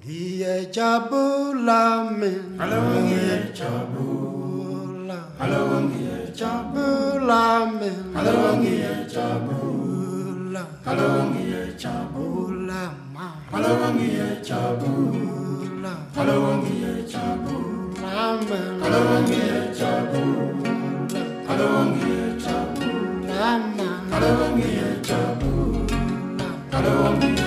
Dia Jabulamin, Halloween Jabula, Halloween Jabulamin, Halloween Jabula, Halloween Jabula, Halloween Jabula, Halloween Jabula, Halloween Jabula, Halloween Jabula, Halloween Jabula, Halloween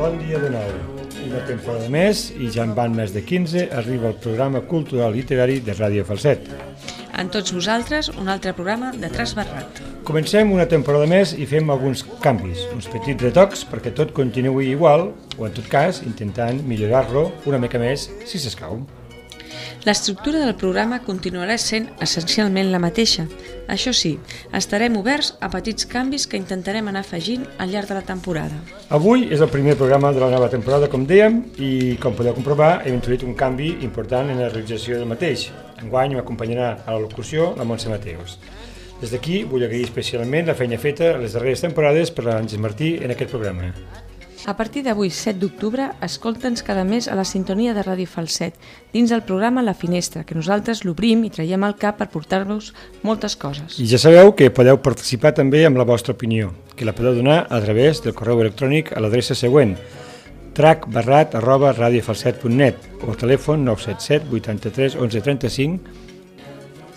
Bon dia de nou. Una temporada més i ja en van més de 15, arriba el programa cultural literari de Ràdio Falset. Amb tots vosaltres, un altre programa de Trasbarrat. Comencem una temporada més i fem alguns canvis, uns petits retocs perquè tot continuï igual, o en tot cas intentant millorar-lo una mica més si s'escau. L'estructura del programa continuarà sent essencialment la mateixa. Això sí, estarem oberts a petits canvis que intentarem anar afegint al llarg de la temporada. Avui és el primer programa de la nova temporada, com dèiem, i com podeu comprovar hem introduït un canvi important en la realització del mateix. Enguany m'acompanyarà a la locució la Montse Mateus. Des d'aquí vull agrair especialment la feina feta a les darreres temporades per l'Àngels Martí en aquest programa. A partir d'avui, 7 d'octubre, escolta'ns cada mes a la sintonia de Ràdio Falset, dins del programa La Finestra, que nosaltres l'obrim i traiem al cap per portar-vos moltes coses. I ja sabeu que podeu participar també amb la vostra opinió, que la podeu donar a través del correu electrònic a l'adreça següent, tracbarrat@radiofalset.net o telèfon 977 83 11 35.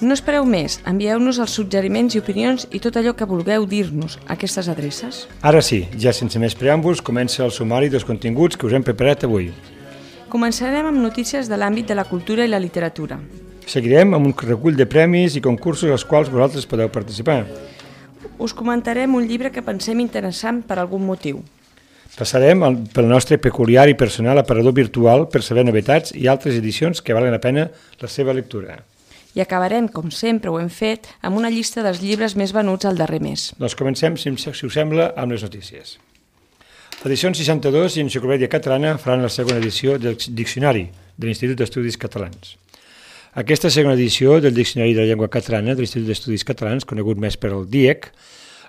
No espereu més, envieu-nos els suggeriments i opinions i tot allò que vulgueu dir-nos a aquestes adreces. Ara sí, ja sense més preàmbuls, comença el sumari dels continguts que us hem preparat avui. Començarem amb notícies de l'àmbit de la cultura i la literatura. Seguirem amb un recull de premis i concursos als quals vosaltres podeu participar. Us comentarem un llibre que pensem interessant per algun motiu. Passarem pel nostre peculiar i personal aparador virtual per saber novetats i altres edicions que valen la pena la seva lectura. I acabarem, com sempre ho hem fet, amb una llista dels llibres més venuts al darrer mes. Doncs comencem, si us sembla, amb les notícies. L'edició 62 i Enciclopèdia Catalana faran la segona edició del Diccionari de l'Institut d'Estudis Catalans. Aquesta segona edició del Diccionari de la Llengua Catalana de l'Institut d'Estudis Catalans, conegut més per el DIEC,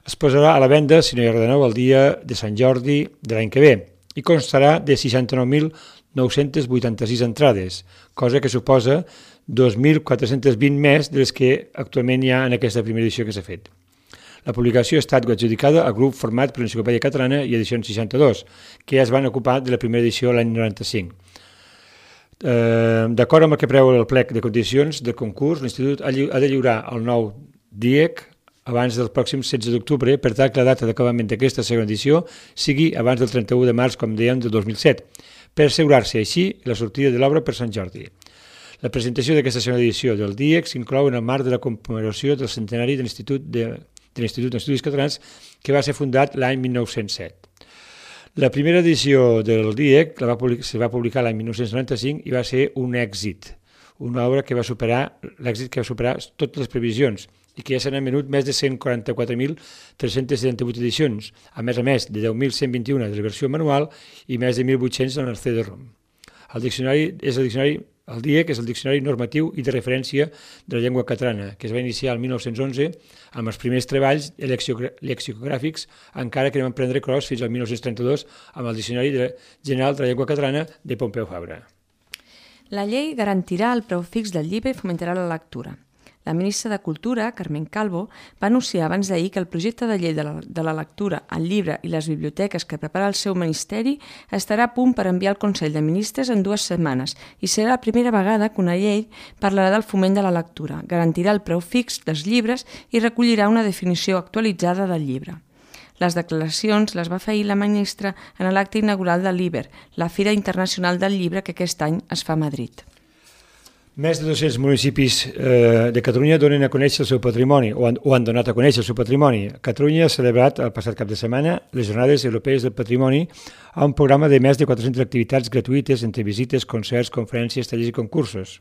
es posarà a la venda, si no hi ha res de nou, el dia de Sant Jordi de l'any que ve i constarà de 69.986 entrades, cosa que suposa 2.420 més de les que actualment hi ha en aquesta primera edició que s'ha fet. La publicació ha estat adjudicada al grup format per l'Enciclopèdia Catalana i Edicions 62, que ja es van ocupar de la primera edició l'any 95. D'acord amb el que preveu el plec de condicions del concurs, l'Institut ha de lliurar el nou DIEC abans del pròxim 16 d'octubre, per tal que la data d'acabament d'aquesta segona edició sigui abans del 31 de març, com dèiem, del 2007, per assegurar-se així la sortida de l'obra per Sant Jordi. La presentació d'aquesta segona edició del DIEC s'inclou en el marc de la commemoració del centenari de l'Institut d'Estudis Catalans, que va ser fundat l'any 1907. La primera edició del DIEC se va publicar l'any 1995 i va ser un èxit, una obra que va superar totes les previsions i que ja s'han venut més de 144.378 edicions, a més de 10.121 de la versió manual i més de 1.800 en el CD-ROM. El DIEC és el Diccionari Normatiu i de Referència de la Llengua Catalana, que es va iniciar el 1911 amb els primers treballs lexicogràfics, encara que no van prendre cros fins al 1932 amb el Diccionari General de la Llengua Catalana de Pompeu Fabra. La llei garantirà el preu fix del llibre i fomentarà la lectura. La ministra de Cultura, Carmen Calvo, va anunciar abans d'ahir que el projecte de llei de la lectura, el llibre i les biblioteques que prepara el seu ministeri estarà a punt per enviar al Consell de Ministres en 2 setmanes i serà la primera vegada que una llei parlarà del foment de la lectura, garantirà el preu fix dels llibres i recollirà una definició actualitzada del llibre. Les declaracions les va fer ahir la ministra en l'acte inaugural de l'IBER, la Fira Internacional del Llibre que aquest any es fa a Madrid. Més de 200 municipis de Catalunya donen a conèixer el seu patrimoni o han donat a conèixer el seu patrimoni. Catalunya ha celebrat el passat cap de setmana les Jornades Europees del Patrimoni a un programa de més de 400 activitats gratuïtes entre visites, concerts, conferències, tallers i concursos.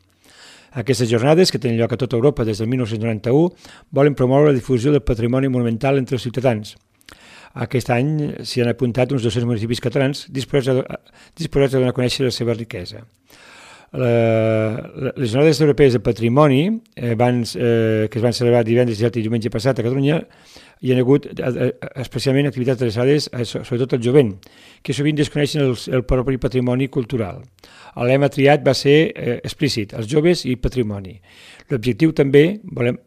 Aquestes jornades, que tenen lloc a tota Europa des del 1991, volen promoure la difusió del patrimoni monumental entre els ciutadans. Aquest any s'hi han apuntat uns 200 municipis catalans disposats a donar a conèixer la seva riquesa. Les jornades europees de patrimoni que es van celebrar divendres, dissabte i diumenge passat a Catalunya, hi ha hagut especialment activitats adreçades sobretot al jovent, que sovint desconeixen el propi patrimoni cultural. El lema triat va ser explícit, els joves i patrimoni. L'objectiu també,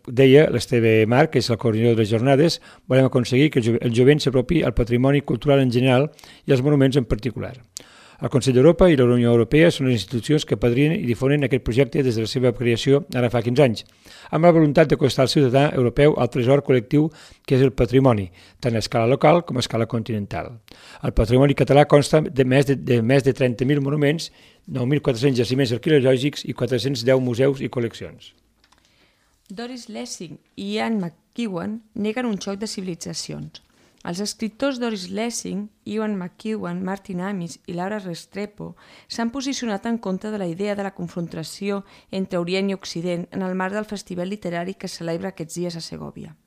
deia l'Esteve Marc, que és el coordinador de les jornades, volem aconseguir que el jovent s'apropi al patrimoni cultural en general i als monuments en particular. El Consell d'Europa i la Unió Europea són les institucions que apadrinen i difonen aquest projecte des de la seva creació ara fa 15 anys, amb la voluntat d'acostar al ciutadà europeu al tresor col·lectiu que és el patrimoni, tant a escala local com a escala continental. El patrimoni català consta de més de 30.000 monuments, 9.400 jaciments arqueològics i 410 museus i col·leccions. Doris Lessing i Ian McEwan neguen un xoc de civilitzacions. Els escriptors Doris Lessing, Ian McEwan, Martin Amis i Laura Restrepo s'han posicionat en contra de la idea de la confrontació entre Orient i Occident en el marc del festival literari que es celebra aquests dies a Segòvia.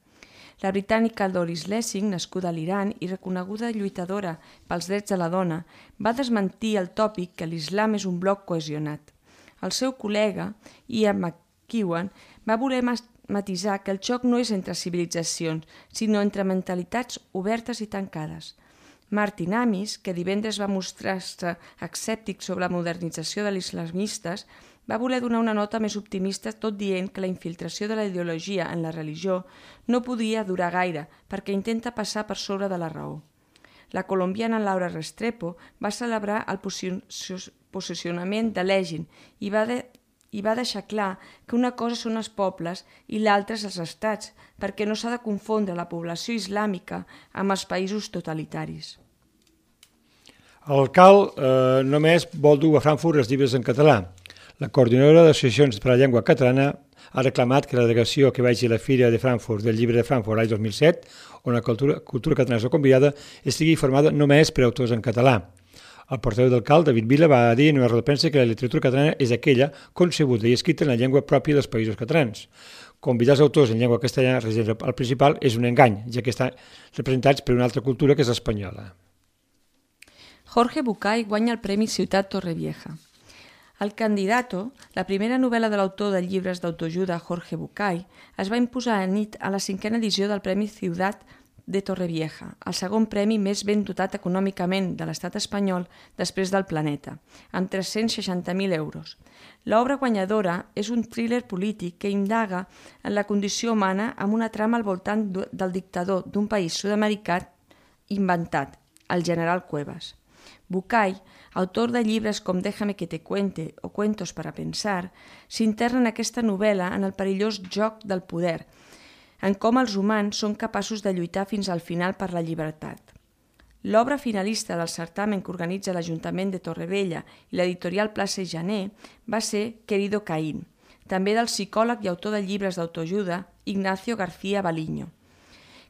La britànica Doris Lessing, nascuda a l'Iran i reconeguda lluitadora pels drets de la dona, va desmentir el tòpic que l'islam és un bloc cohesionat. El seu col·lega, Ian McEwan, va voler matisar que el xoc no és entre civilitzacions, sinó entre mentalitats obertes i tancades. Martin Amis, que divendres va mostrar-se escèptic sobre la modernització de l'islamistes, va voler donar una nota més optimista tot dient que la infiltració de la ideologia en la religió no podia durar gaire perquè intenta passar per sobre de la raó. La colombiana Laura Restrepo va celebrar el posicionament de Legin i va deixar clar que una cosa són els pobles i l'altra és els estats, perquè no s'ha de confondre la població islàmica amb els països totalitaris. El CAL només vol dur a Frankfurt els llibres en català. La coordinadora d'associacions per a la llengua catalana ha reclamat que la delegació que vagi a la Fira de Frankfurt del llibre de Frankfurt l'any 2007, on la cultura catalana és convidada, estigui formada només per autors en català. El portaveu del CAL, David Vila, va dir en una roda de premsa que la literatura catalana és aquella concebuda i escrita en la llengua pròpia dels països catalans. Convidar els autors en llengua castellana residents al principal és un engany, ja que estan representats per una altra cultura que és l'espanyola. Jorge Bucay guanya el Premi Ciutat Torrevieja. El Candidato, la primera novel·la de l'autor de llibres d'autoajuda Jorge Bucay, es va imposar a nit a la 5a edició del Premi Ciutat de Torrevieja, el segon premi més ben dotat econòmicament de l'estat espanyol després del Planeta, amb 360.000 euros. L'obra guanyadora és un thriller polític que indaga en la condició humana amb una trama al voltant del dictador d'un país sud-americà inventat, el general Cuevas. Bucay, autor de llibres com Déjame que te cuente o Cuentos para pensar, s'interna en aquesta novel·la en el perillós joc del poder, en com els humans són capaços de lluitar fins al final per la llibertat. L'obra finalista del certamen que organitza l'Ajuntament de Torrevella i l'editorial Plaça i Janer va ser Querido Caín, també del psicòleg i autor de llibres d'autoajuda Ignacio García Baliño,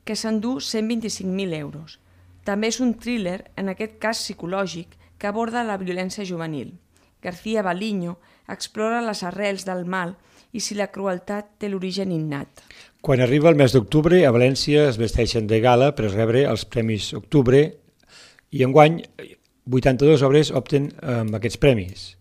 que s'endú 125.000 euros. També és un thriller, en aquest cas psicològic, que aborda la violència juvenil. García Baliño explora les arrels del mal i si la crueltat té l'origen innat. Quan arriba el mes d'octubre, a València es vesteixen de gala per rebre els Premis Octubre i enguany 82 obres opten amb aquests premis.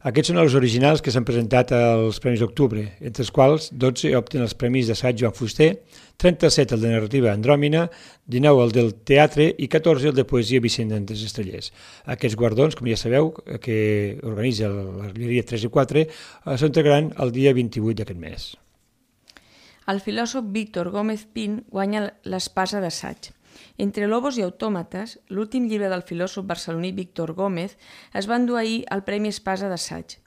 Aquests són els originals que s'han presentat als Premis Octubre, entre els quals 12 opten els Premis d'assaig Joan Fuster, 37 el de narrativa Andròmina, 19 el del teatre i 14 el de poesia Vicent d'Antes Estrellers. Aquests guardons, com ja sabeu, que organitza la llibreria 3 i 4, s'entregaran el dia 28 d'aquest mes. El filòsof Víctor Gómez Pin guanya l'Espasa d'assaig. Entre Lobos i Autòmates, l'últim llibre del filòsof barceloní Víctor Gómez, es va endur ahir el Premi Espasa d'assaig.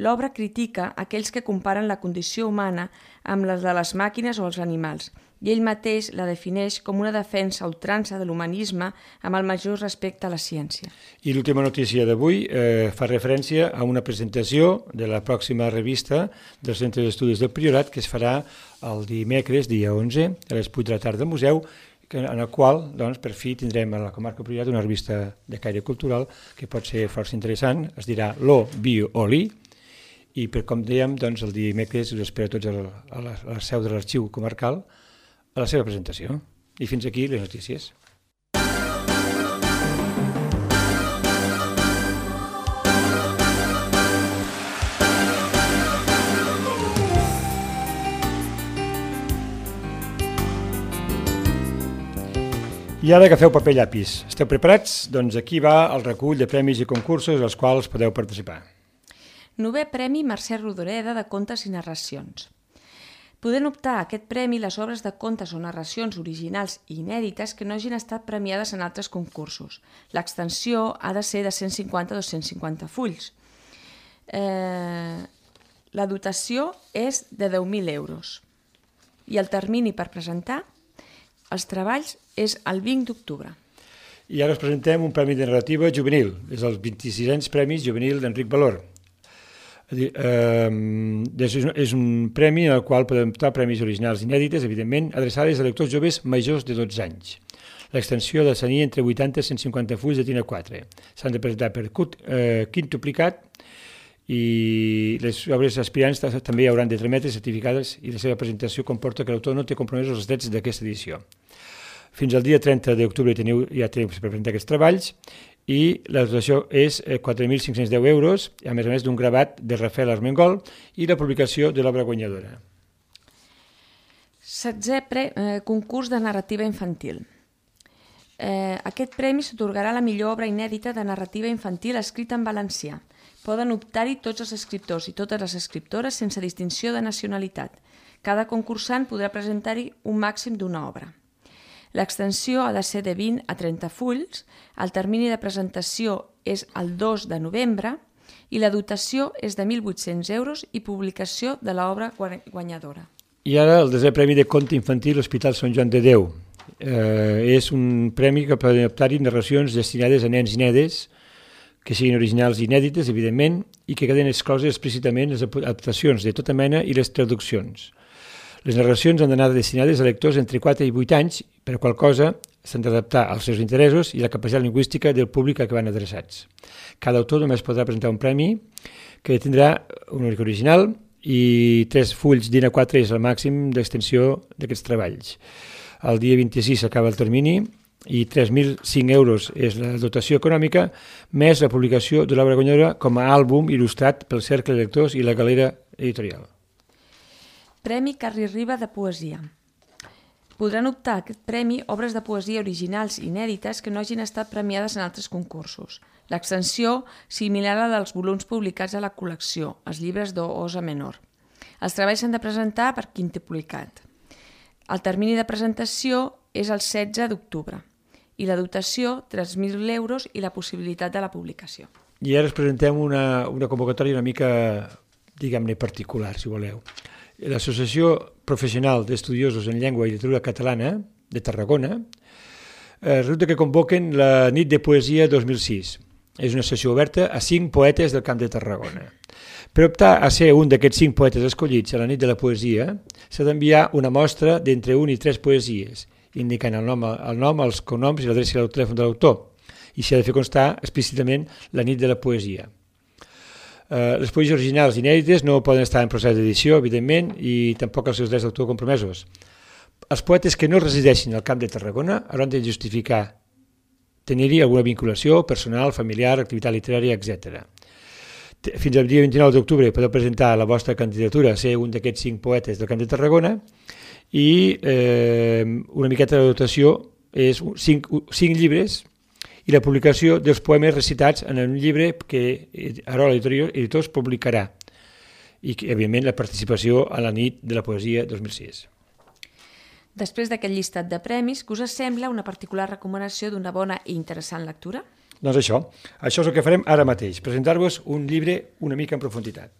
L'obra critica aquells que comparen la condició humana amb les de les màquines o els animals, i ell mateix la defineix com una defensa a ultrança de l'humanisme amb el major respecte a la ciència. I l'última notícia d'avui fa referència a una presentació de la pròxima revista del Centre d'Estudis del Priorat que es farà el dimecres, dia 11, a les 8 de la tarda al museu, en el qual, doncs, per fi tindrem a la comarca Priorat una revista de caire cultural que pot ser força interessant, es dirà Lo Bio Oli, i com dèiem, doncs, el dimecres us espero tots a la seu de l'arxiu comarcal a la seva presentació. I fins aquí les notícies. I ara agafeu paper i llapis. Esteu preparats? Doncs aquí va el recull de premis i concursos als quals podeu participar. 9è Premi Mercè Rodoreda de Contes i Narracions. Poden optar a aquest premi les obres de contes o narracions originals i inèdites que no hagin estat premiades en altres concursos. L'extensió ha de ser de 150 a 250 fulls. La dotació és de 10.000 euros. I el termini per presentar els treballs és el 20 d'octubre. I ara us presentem un premi de narrativa juvenil. És el 26è Premi Juvenil d'Enric Valor. És un premi en el qual podem optar premis originals inèdites, evidentment, adreçades a lectors joves majors de 12 anys. L'extensió de tenir entre 80 i 150 fulls de tina 4. S'han de presentar per quintuplicat i les obres aspirants també hauran de trametre certificades i la seva presentació comporta que l'autor no té compromesos els drets d'aquesta edició. Fins al dia 30 d'octubre ja teniu per presentar aquests treballs i la dotació és 4.510 euros, a més d'un gravat de Rafael Armengol i la publicació de l'obra guanyadora. 16è Concurs de narrativa infantil. Aquest premi s'atorgarà a la millor obra inèdita de narrativa infantil escrita en valencià. Poden optar-hi tots els escriptors i totes les escriptores sense distinció de nacionalitat. Cada concursant podrà presentar-hi un màxim d'una obra. L'extensió ha de ser de 20 a 30 fulls, el termini de presentació és el 2 de novembre i la dotació és de 1.800 euros i publicació de l'obra guanyadora. I ara el 10è Premi de Conte Infantil Hospital Sant Joan de Déu. És un premi que poden optar-hi narracions destinades a nens i nenes que siguin originals i inèdites, evidentment, i que queden excloses explícitament les adaptacions de tota mena i les traduccions. Les narracions han d'anar destinades a lectors entre 4 i 8 anys, per qual cosa s'han d'adaptar als seus interessos i la capacitat lingüística del públic a què van adreçats. Cada autor només podrà presentar un premi que tindrà un únic original i 3 fulls d'A4 és el màxim d'extensió d'aquests treballs. El dia 26 s'acaba el termini i 3.005 euros és la dotació econòmica, més la publicació de l'obra guanyadora com a àlbum il·lustrat pel Cercle de Lectors i la Galera Editorial. Premi Carri Riba de Poesia. Podran optar a aquest premi obres de poesia originals i inèdites que no hagin estat premiades en altres concursos. L'extensió similar a la dels volums publicats a la col·lecció, els llibres d'Osa Menor. Els treballs s'han de presentar per quintuplicat. El termini de presentació és el 16 d'octubre i la dotació 3.000 euros i la possibilitat de la publicació. I ara us presentem una convocatòria una mica, diguem-ne, particular, si voleu. L'Associació Professional d'Estudiosos en Llengua i Literatura Catalana de Tarragona resulta que convoquen la Nit de Poesia 2006. És una sessió oberta a 5 poetes del Camp de Tarragona. Per optar a ser un d'aquests 5 poetes escollits a la Nit de la Poesia, s'ha d'enviar una mostra d'entre 1 i 3 poesies, indicant el nom, els cognoms i l'adreça del telèfon de l'autor, i s'ha de fer constar explícitament la Nit de la Poesia. Les poesies originals inèdites no poden estar en procés d'edició, evidentment, i tampoc els seus drets d'autor compromesos. Els poetes que no resideixin al Camp de Tarragona hauran de justificar tenir-hi alguna vinculació personal, familiar, activitat literària, etc. Fins al dia 29 d'octubre podeu presentar la vostra candidatura a ser un d'aquests 5 poetes del Camp de Tarragona i una miqueta de dotació és 5 llibres i la publicació dels poemes recitats en un llibre que Arola Editors publicarà i, evidentment, la participació a la Nit de la Poesia 2006. Després d'aquest llistat de premis, què us sembla una particular recomanació d'una bona i interessant lectura? Doncs això és el que farem ara mateix, presentar-vos un llibre una mica en profunditat.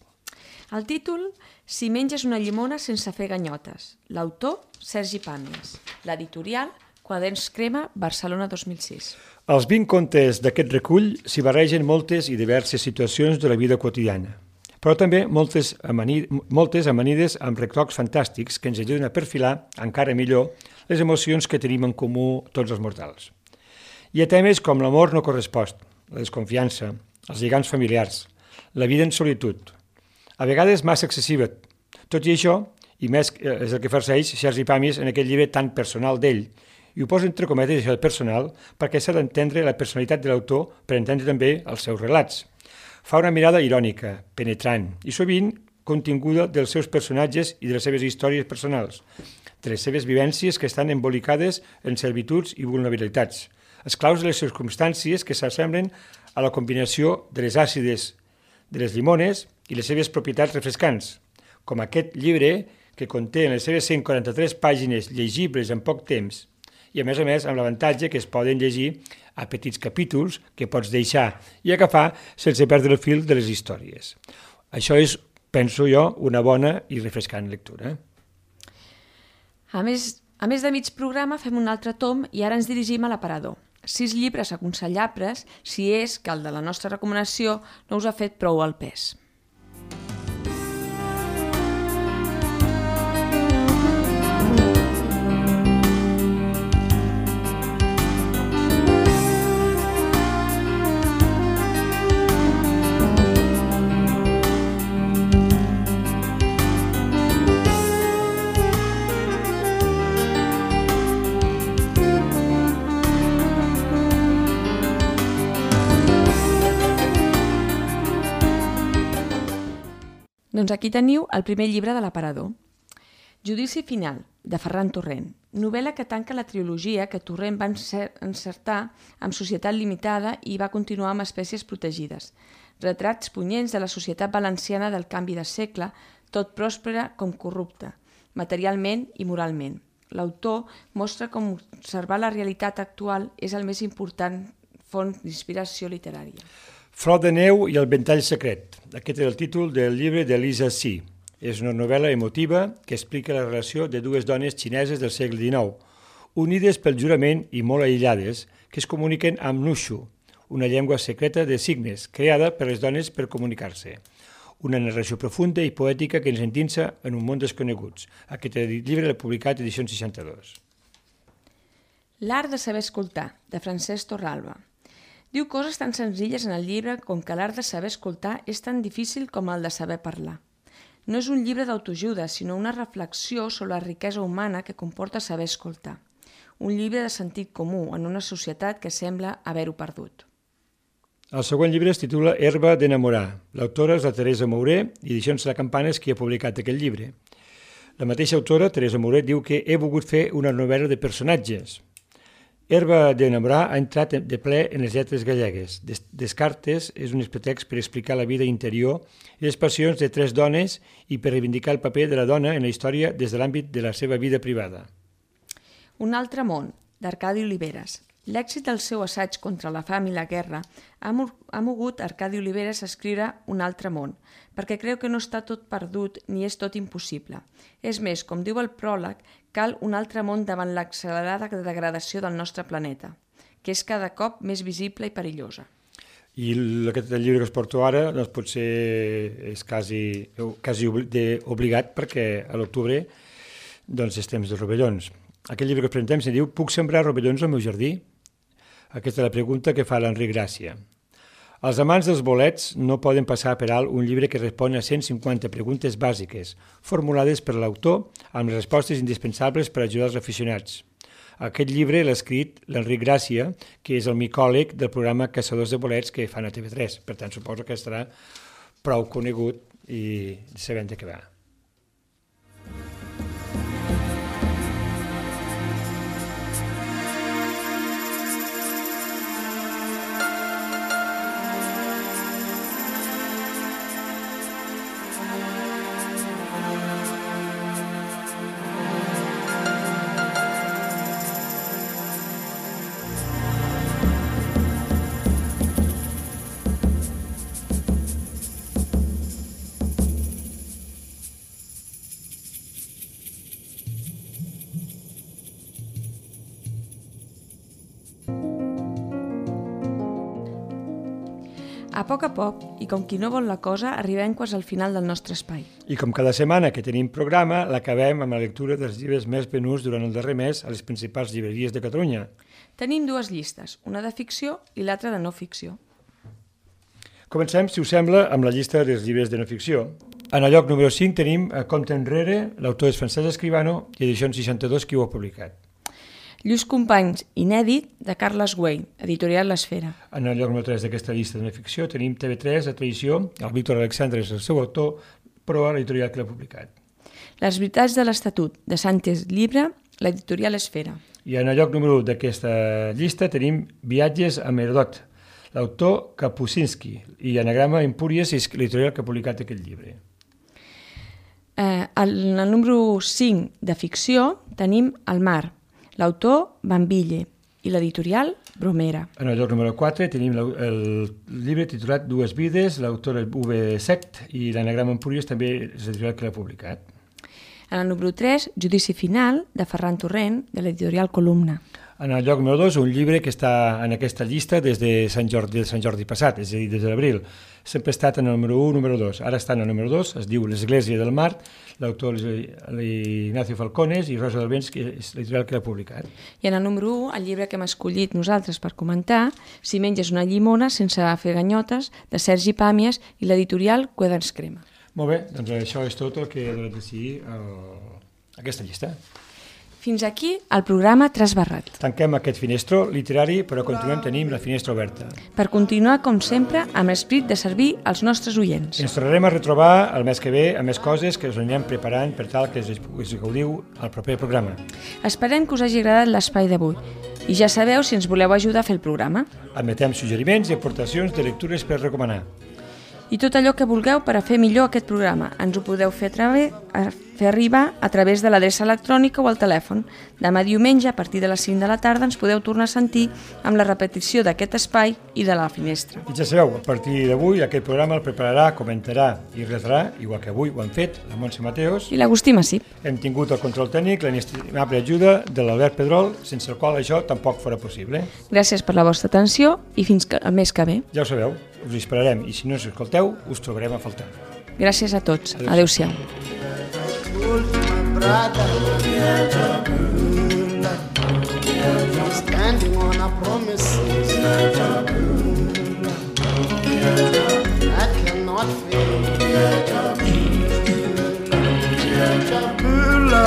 El títol, Si menges una llimona sense fer ganyotes. L'autor, Sergi Pàmies. L'editorial, Quaderns Crema, Barcelona 2006. Als 20 contes d'aquest recull s'hi barregen moltes i diverses situacions de la vida quotidiana, però també moltes amanides amb retocs fantàstics que ens ajuden a perfilar, encara millor, les emocions que tenim en comú tots els mortals. Hi ha temes com l'amor no correspost, la desconfiança, els lligams familiars, la vida en solitud, a vegades massa excessiva. Tot i això, i més és el que farceix Sergi Pàmies en aquest llibre tan personal d'ell, i ho posa entre cometes això de personal perquè s'ha d'entendre la personalitat de l'autor per entendre també els seus relats. Fa una mirada irònica, penetrant i sovint continguda dels seus personatges i de les seves històries personals. de les seves vivències que estan embolicades en servituds i vulnerabilitats, esclaus de les circumstàncies que s'assemblen a la combinació de les àcides de les llimones i les seves propietats refrescants, com aquest llibre que conté en les seves 143 pàgines llegibles en poc temps i, a més amb l'avantatge que es poden llegir a petits capítols que pots deixar i agafar sense perdre el fil de les històries. Això és, penso jo, una bona i refrescant lectura. A més de mig programa fem un altre tom i ara ens dirigim a l'aparador. 6 llibres aconsellables si és que el de la nostra recomanació no us ha fet prou al pes. Doncs aquí teniu el primer llibre de l'aparador. Judici final, de Ferran Torrent, novel·la que tanca la trilogia que Torrent va encertar amb Societat Limitada i va continuar amb Espècies Protegides. Retrats punyents de la societat valenciana del canvi de segle, tot pròspera com corrupta, materialment i moralment. L'autor mostra com observar la realitat actual és el més important font d'inspiració literària. Flor de neu i el ventall secret. Aquest és el títol del llibre d'Elisa Si. És una novel·la emotiva que explica la relació de dues dones xineses del segle XIX, unides pel jurament i molt aïllades, que es comuniquen amb Nushu, una llengua secreta de signes creada per les dones per comunicar-se. Una narració profunda i poètica que ens endinsa en un món desconeguts. Aquest llibre l'ha publicat Edicions 62. L'art de saber escoltar, de Francesc Torralba. Diu coses tan senzilles en el llibre com que l'art de saber escoltar és tan difícil com el de saber parlar. No és un llibre d'autoajuda, sinó una reflexió sobre la riquesa humana que comporta saber escoltar. Un llibre de sentit comú en una societat que sembla haver-ho perdut. El següent llibre es titula Herba d'enamorar. L'autora és la Teresa Mouret i Edicions La Campana és qui ha publicat aquest llibre. La mateixa autora, Teresa Mouret, diu que he volgut fer una novel·la de personatges. Herba d'enamorar ha entrat de ple en les lletres gallegues. Descartes és un pretext per explicar la vida interior i les passions de 3 dones i per reivindicar el paper de la dona en la història des de l'àmbit de la seva vida privada. Un altre món, d'Arcadi Oliveres. L'èxit del seu assaig contra la fam i la guerra ha mogut Arcadi Oliveres a escriure Un altre món, perquè creu que no està tot perdut ni és tot impossible. És més, com diu el pròleg, cal un altre món davant l'accelerada degradació del nostre planeta, que és cada cop més visible i perillosa. I aquest llibre que us porto ara doncs potser és quasi obligat perquè a l'octubre doncs és temps de rovellons. Aquest llibre que us presentem se diu Puc sembrar rovellons al meu jardí? Aquesta és la pregunta que fa l'Enric Gràcia. Els amants dels bolets no poden passar per alt un llibre que respon a 150 preguntes bàsiques, formulades per l'autor amb les respostes indispensables per ajudar els aficionats. Aquest llibre l'ha escrit l'Enric Gràcia, que és el micòleg del programa Caçadors de bolets que fan a TV3. Per tant, suposo que estarà prou conegut i sabent de què va. A poc, i com qui no vol la cosa, arribem quasi al final del nostre espai. I com cada setmana que tenim programa, l'acabem amb la lectura dels llibres més venuts durant el darrer mes a les principals llibreries de Catalunya. Tenim 2 llistes, una de ficció i l'altra de no ficció. Comencem, si us sembla, amb la llista dels llibres de no ficció. En el lloc número 5 tenim Compte enrere, l'autor és Francesc Escribano i Edicions 62 qui ho ha publicat. Lluís Companys, inèdit, de Carles Güell, editorial L'Esfera. En el lloc número 3 d'aquesta llista de no ficció tenim TV3, La Traïció, el Víctor Alexandre és el seu autor, però l'editorial que l'ha publicat. Les veritats de l'Estatut de Santes Llibre, l'editorial Esfera. I en el lloc número 1 d'aquesta llista tenim Viatges a Merodot, l'autor Kapuscinski, i Anagrama Empúries, és l'editorial que ha publicat aquest llibre. En el número 5 de ficció tenim El mar, l'autor Bambille i l'editorial Bromera. En el lloc número 4 tenim el llibre titulat Dues vides, l'autor V. Sect, i l'Anagrama Empúries també és l'editorial que l'ha publicat. En el número 3, Judici final, de Ferran Torrent, de l'editorial Columna. En el lloc número 2, un llibre que està en aquesta llista des de Sant Jordi passat, és a dir, des de l'abril. Sempre ha estat en el número 1, número 2. Ara està en el número 2, es diu L'Església del Mar, l'autor Ignacio Falcones i Rosa del Vents, que és l'editorial que l'ha publicat. I en el número 1, el llibre que hem escollit nosaltres per comentar, Si menges una llimona sense fer ganyotes, de Sergi Pàmies i l'editorial Quaderns Crema. Molt bé, doncs això és tot el que he de decidir aquesta llista. Fins aquí el programa Trasbarrat. Tanquem aquest finestro literari, però continuem tenint la finestra oberta. Per continuar, com sempre, amb l'esperit de servir als nostres oients. Ens tornarem a retrobar el mes que ve amb més coses que us anirem preparant per tal que us gaudiu al proper programa. Esperem que us hagi agradat l'espai d'avui. I ja sabeu si ens voleu ajudar a fer el programa. Admetem suggeriments i aportacions de lectures per recomanar. I tot allò que vulgueu per a fer millor aquest programa. Ens ho podeu fer arribar a través de l'adreça electrònica o al telèfon. Demà diumenge, a partir de les 5 de la tarda, ens podeu tornar a sentir amb la repetició d'aquest espai i de la finestra. I ja sabeu, a partir d'avui aquest programa el prepararà, comentarà i retrà, igual que avui ho han fet la Montse Mateos i l'Agustí Massip. Hem tingut el control tècnic, l'inestimable ajuda de l'Albert Pedrol, sense el qual això tampoc fora possible. Gràcies per la vostra atenció i fins al mes que ve. Ja ho sabeu, us esperarem i si no us escolteu, us trobarem a faltar. Gràcies a tots. Adéu-siau. Standing on our promises that cannot fail. Jabula,